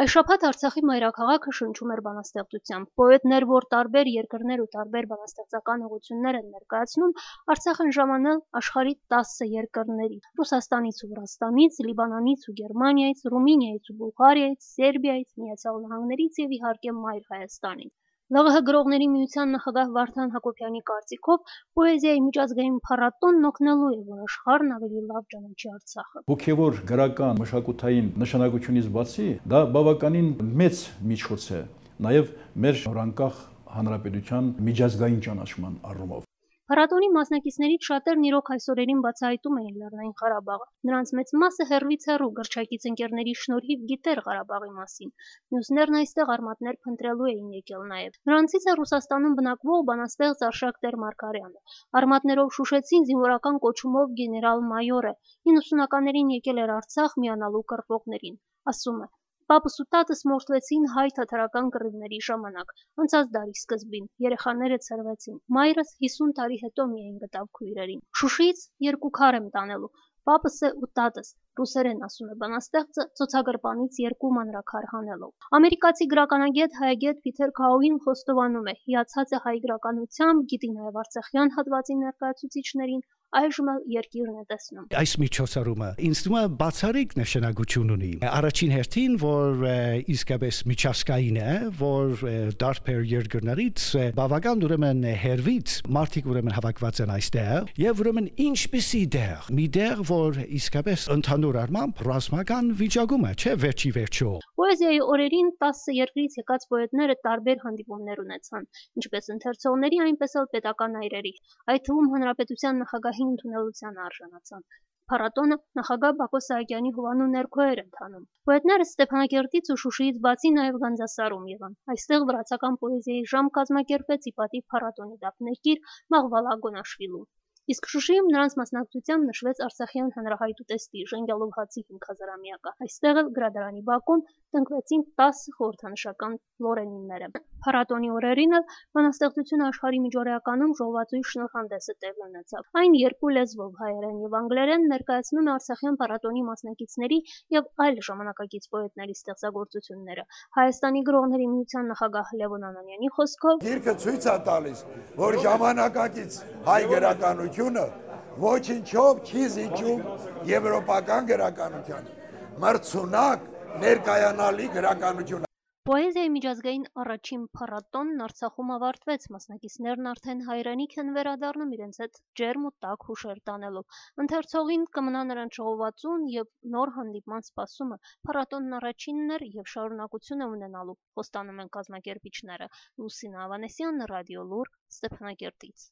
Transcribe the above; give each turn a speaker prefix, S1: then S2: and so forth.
S1: Այս շաբաթ Արցախի մայրաքաղաքը շնչում էր բանաստեղծությամբ։ Պոետներ, որ տարբեր երկրներ ու տարբեր բանաստեղծական ուղղություններ են ներկայացնում, Արցախ են ժամանել աշխարհի 10 երկրների՝ Ռուսաստանից ու Վրաստանից, Լիբանանից ու Գերմանիայից, Ռումինիայից ու Բուլղարիայից, Սերբիայից, Միացյալ Նահանգներից եւ իհարկե Մայր Հայաստանից։ ԼՂՀ գրողների միության նախագահ Վարդան Հակոբյանի կարծիքով պոեզիայի միջազգային փառատոնն օգնելու է, որ աշխարհն ավելի լավ ճանաչի Արցախը։
S2: Հոգևոր գրական մշակութային նշանակությունից բացի դա բավականին մեծ միջոց է նաև մեր նորանկախ հանրապետության միջազգային ճանաչման առումով։
S1: Փառատոնի մասնակիցներից շատերն իրոք այս օրերին բացահայտում էին Լեռնային Ղարաբաղը։ Նրանց մեծ մասը հեռվից հեռու գրչակից ընկերների շնորհիվ գիտեր Ղարաբաղի մասին։ Մյուսներն այստեղ արմատներ փնտրելու էին եկել նաև։ Նրանցից է Ռուսաստանում բնակվող բանաստեղծ Արշակ Տեր-Մարգարյանը։ Արմատներով շուշեցին զինվորական կոչումով գեներալ-մայոր է։ 90-ականներին եկել էր Արցախ միանալու կռվողներին։ Ասում է. Պապս ու տատս մորթվեցին հայ-թաթարական կռիվների ժամանակ, անցած դարի սկզբին, երեխաները ցրվեցին, մայրս 50 տարի հետո միայն գտավ քույրերին։ Շուշիից 2 քար եմ տանելու, պապս է ու տատս, ռուսերեն ասում է բանաստեղծը, ծոցագրպանից 2 մանրաքար հանելով։ Ամերիկացի գրականագետ հայագետ Փիթեր Քաուին խոստովանում է, հիացած է հայ գրականությամբ, գիտի նաև արցախյան հատվածի ներկայացուցիչներին, այժմ էլ երկիրն է տեսնում։
S3: Այս միջոցառումը ինձ թվում է բացառիկ նշանակություն ունի։ Առաջին հերթին, որ իսկապես միջազգային է, որ դարբեր երկրներից բավական ուրեմն հերվից մարդիկ ուրեմն հավաքված են այստեղ, եւ ուրեմն ինչպիսի դեր, մի դեր, որ իսկապես ընդհանուր առմամբ ռազմական վիճակում է, չէ՞ վերջի վերջո։
S1: Պոեզիայի օրերին 10 երկրից եկած պոետները տարբեր հանդիպումներ ունեցան, ինչպես ընթերցողների, այնպես էլ պետական այրերի, այդ թվում հանրապետության նախագահի ընդունելության արժանացան։ Փառատոնը նախագահ Բակո Սահակյանի հովանու ներքո էր ընթանում։ Պոետները Ստեփանակերտից ու Շուշիից բացի նաև Գանձասարում եղան։ Այստեղ վրացական պոեզիայի ժամ կազմակերպվեց ի պատիվ փառատոնի դափնեկիր Մաղվալա Գոնաշվիլու։ Իսկ Շուշիում նրանց մասնակցությամբ նշվեց Արցախյան հանրահայտ ուտեստի Ժենգյալով հացի 500-ամյակը։ Այստեղ էլ գրադարանի բակում տնկվեցին 10 խորհրդանշական լորենինները։ Փառատոնի օրերին էլ բանաստեղծությունը աշխարհի միջօրեականում ժողովածուի շնորհանդեսը տեղի ունեցավ։ Այն 2 լեզվով հայերեն եւ անգլերեն ներկայացնում է Արցախյան փառատոնի մասնակիցների եւ այլ ժամանակակից պոետների ստեղծագործությունները։ Հայաստանի գրողների միության նախագահ Լևոն Անանյանի խոսքով
S4: գիրքը ցույց է տալիս, որ ժամանակակից հայ գրականությունը ոչինչով չի զիջում եվրոպական գրականությանը։ Մրցունակ ներկայանալի գրականություն։
S1: Պոեզիայի միջազգային առաջին փառատոնն Արցախում ավարտվեց, մասնակիցներն արդեն հայրենիք են վերադառնում իրենց հետ ջերմ ու տաք հուշեր տանելով։ Ընթերցողին կմնա նրանց ժողովածուն եւ նոր հանդիպման սպասումը։ Փառատոնն առաջինն էր եւ շարունակություն է ունենալու, խոստանում են կազմակերպիչները։ Լուսինա Ավանեսյան, Ռադիո Լուր, Ստեփանակերտից։